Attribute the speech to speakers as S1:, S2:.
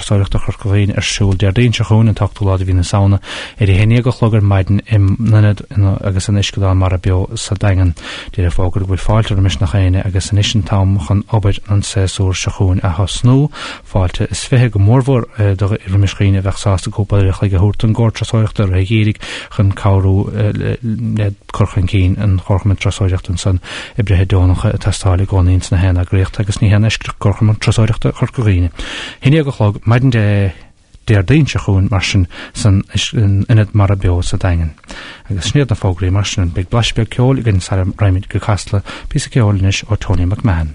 S1: Turasóireachta Chorca Dhuibhne ar siúl Déardaoin seo chugainn, an t-ochtú lá de mhí na Samhna, ar a haon dhéag a chlog ar maidin in Ionad agus an Uisceadán Mara Beo sa Daingean. Deir an fógra go bhfuil fáilte roimis nach éinne agus anois an t-am chun obair an tséasúir seo chugainn a thosnú. Fáilte is 20 go mórmhór roimis dhaoine a bheadh sásta cúpla uair a chloig a thabhairt don gComhar Turasóireachta i rith an gheimhridh chun cabhrú le cur chun cinn an Chomharchumainn Turasóireachta ansan oibrithe deonacha ag teastáil i gcónaí ins na haon eagraíocht agus ní haon eisceacht Comharchumann Turasóireachta Chorca Dhuibhne. 11 a chlog maidin Dé Déardaoin seo chugainn mar sin san Ionad Mara Beo sa Daingean. Agus sin iad na fógraí mar sin. Beidh blaiseadh beag ceoil againn sara raghaimid go Casla, píosa ceoil anois ó Tony McMahon.